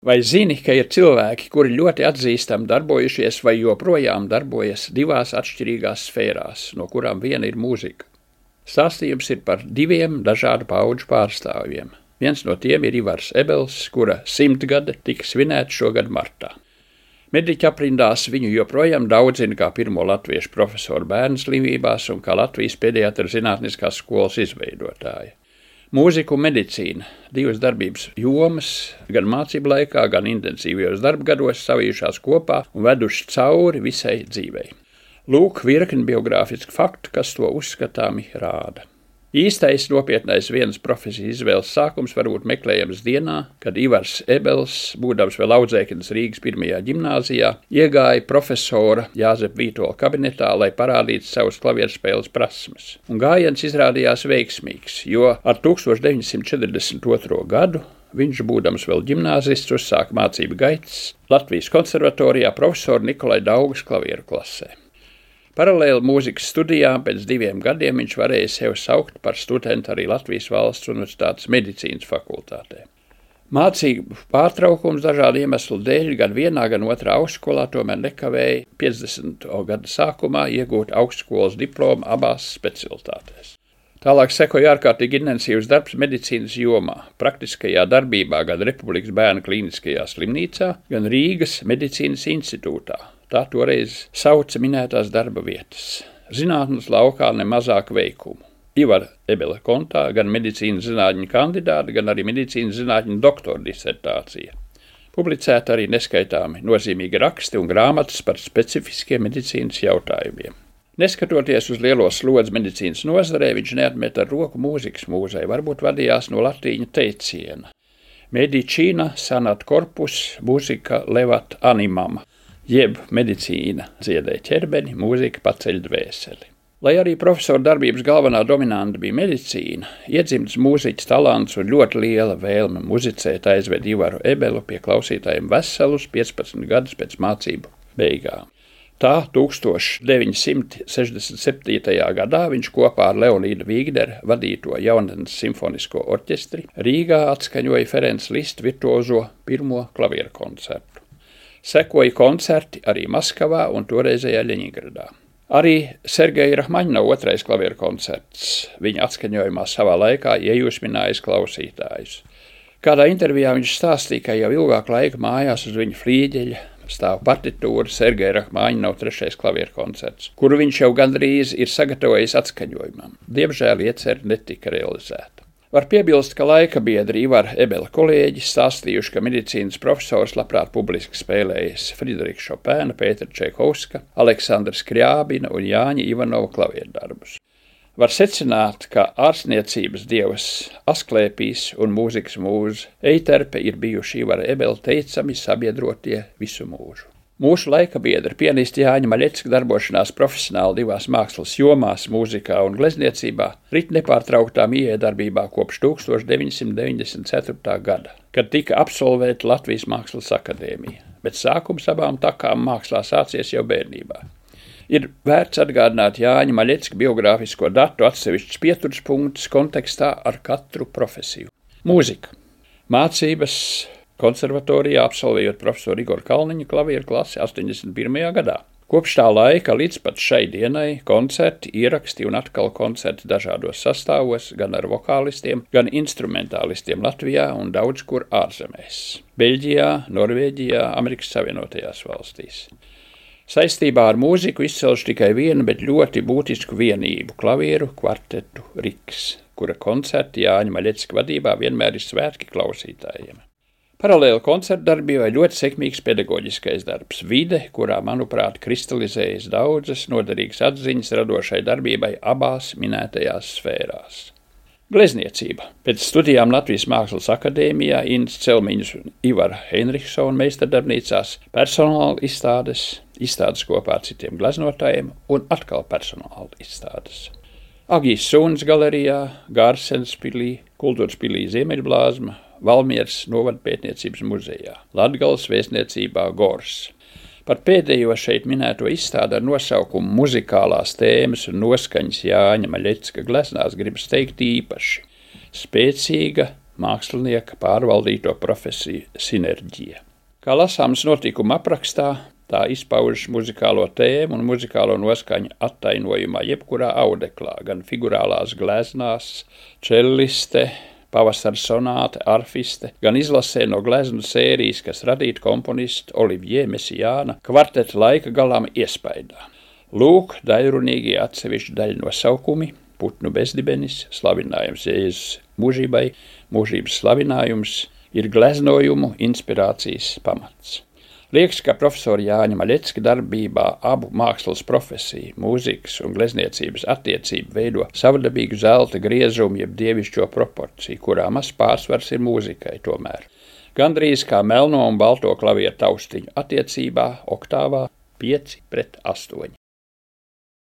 Vai zini, ka ir cilvēki, kuri ļoti atzīstami darbojušies vai joprojām darbojas divās atšķirīgās sfērās, no kurām viena ir mūzika? Stāstījums ir par diviem dažādu paudžu pārstāvjiem. Viens no tiem ir Ivars Ebels, kura 100 gade tika svinēta šogad martā. Mediķa aprindās viņu joprojām daudz zina kā pirmo latviešu profesoru bērnu slimībās un kā Latvijas pediatra zinātniskās skolas izveidotāja. Mūzika un medicīna, divas darbības jomas, gan mācību laikā, gan intensīvajos darbgados savījušās kopā un veduši cauri visai dzīvei. Lūk, virkni biogrāfisku faktu, kas to uzskatāmi rāda. Īstais nopietnais vienas profesijas izvēles sākums var būt meklējams dienā, kad Ivars Ebels, būdams vēl audzēknis Rīgas 1. ģimnāzijā, iegāja profesora Jāzepa Vītola kabinetā, lai parādītu savus klavierspēles prasmes. Un gājiens izrādījās veiksmīgs, jo ar 1942. gadu viņš, būdams vēl ģimnāzists, uzsāka mācību gaitas Latvijas konservatorijā profesora Nikolai Daugas klavieru klasē. Paralēli mūzikas studijām pēc 2 gadiem viņš varēja sevi saukt par studentu arī Latvijas Valsts Universitātes medicīnas fakultātē. Mācību pārtraukums dažādu iemeslu dēļ gan vienā, gan otrā augstskolā tomēr nekavēja 50. gada sākumā iegūt augstskolas diplomu abās specialitātēs. Tālāk sekoja ārkārtīgi intensīvs darbs medicīnas jomā, praktiskajā darbībā gan Republikas Bērnu klīniskajā slimnīcā, gan Rīgas medicīnas institūtā. Tā toreiz sauca minētās darba vietas. Zinātnes laukā nemazāk veikumu. Ivara Ebela kontā gan medicīnas zinātņu kandidāta, gan arī medicīnas zinātņu doktora disertācija. Publicēta arī neskaitāmi nozīmīgi raksti un grāmatas par specifiskiem medicīnas jautājumiem. Neskatoties uz lielo slodzi medicīnas nozarē, viņš neatmet ar roku mūzikas mūzei, varbūt vadījās no latīņu teiciena. Medicīna sanat corpus, mūzika levat animam. Jeb medicīna dziedē ķerbeni, mūzika paceļ dvēseli. Lai arī profesora darbības galvenā dominanta bija medicīna, iedzimts mūziķis talants un ļoti liela vēlme muzicēt aizved Ivaru Ebelu pie klausītājiem veselus 15 gadus pēc mācību beigām. Tā 1967. gadā viņš kopā ar Leonīdu Vīgderu vadīto Jaunatnes simfonisko orķestri Rīgā atskaņoja Ferenc Liszt virtuozo pirmo klavieru koncertu. Sekoja koncerti arī Maskavā un toreizējā Ļeņingradā. Arī Sergeja Rahmaņinova otrais klavieru koncerts viņa atskaņojumā savā laikā iejūsminājis klausītājus. Kādā intervijā viņš stāstīja, ka jau ilgāk laika mājās uz viņa flīģeļa stāv partitūra Sergeja Rahmaņinova 3. klavieru koncerts, kuru viņš jau gandrīz ir sagatavojis atskaņojumam. Diemžēl iecerē netika realizēta. Var piebilst, ka laika biedri Ivara Ebela kolēģi stāstījuši, ka medicīnas profesors labprāt publiski spēlējis Friderika Šopēna, Pētera Čaikovska, Aleksandra Skriābina un Jāņa Ivanova klavierdarbus. Var secināt, ka ārstniecības dievs Asklēpijs un mūzikas mūze Eiterpe ir bijuši Ivara Ebela teicami sabiedrotie visu mūžu. Mūsu laika biedra pianisti Jāņa Maļecka darbošanās profesionāli divās mākslas jomās, mūzikā un glezniecībā, rit nepārtrauktām iedarbībā kopš 1994. gada, kad tika absolvēta Latvijas Mākslas akadēmija, bet sākums abām takām mākslā sācies jau bērnībā. Ir vērts atgādināt Jāņa Maļecka biogrāfisko datu atsevišķus pieturspunktus kontekstā ar katru profesiju. Mūzika. Mācības konservatorijā absolvējot profesoru Igoru Kalniņu klavieru klasi 81. gadā. Kopš tā laika līdz pat šai dienai koncerti, ieraksti un atkal koncerti dažādos sastāvos, gan ar vokālistiem, gan instrumentālistiem Latvijā un daudz kur ārzemēs. Beļģijā, Norvēģijā, Amerikas Savienotajās valstīs. Saistībā ar mūziku izcelšu tikai vienu, bet ļoti būtisku vienību – klavieru kvartetu Riks, kura koncerti Jāņa Maļecka vadībā vienmēr ir svētki klausītājiem. Paralēli koncertdarbībai ļoti sekmīgs pedagoģiskais darbs, vide, kurā, manuprāt, kristalizējas daudzas noderīgas atziņas radošai darbībai abās minētajās sfērās. Glezniecība. Pēc studijām Latvijas Mākslas akadēmijā Inns Celmiņas un Ivara Heinrichsona meistardarbnīcās personāla izstādes kopā ar citiem gleznotājiem un atkal personāla izstādes. Agijas Sūnas galerijā, Gārsens pilī, Kultūras pilī Ziemeļblāzma, Valmieras novada pētniecības muzejā, Latgales vēstniecībā Gors. Par pēdējo šeit minēto izstādi ar nosaukumu Muzikālās tēmas un noskaņas Jāņa Maļecka gleznās gribas teikt īpaši. Spēcīga, mākslinieka pārvaldīto profesiju sinerģija. Kā lasāms notikuma aprakstā, tā izpaužas muzikālo tēmu un muzikālo noskaņu attainojumā jebkurā audeklā, gan figurālās gleznās, čelliste, pavasara sonāte, arfiste, gan izlasē no gleznu sērijas, kas radīta komponistu Olivier Messiāna kvarteta laika galām iespaidā. Lūk, daļrunīgie atsevišķi daļu nosaukumi, putnu bezdibenis, slavinājums Jēzus mūžībai, mūžības slavinājums ir gleznojumu inspirācijas pamats. Liekas, ka profesora Jāņa Maļecka darbībā abu mākslas profesiju, mūzikas un glezniecības attiecību veido savdabīgu zelta griezumu jeb dievišķo proporciju, kurā maz pārsvars ir mūzikai tomēr. Gandrīz kā melno un balto klavieru taustiņu attiecībā oktāvā 5:8.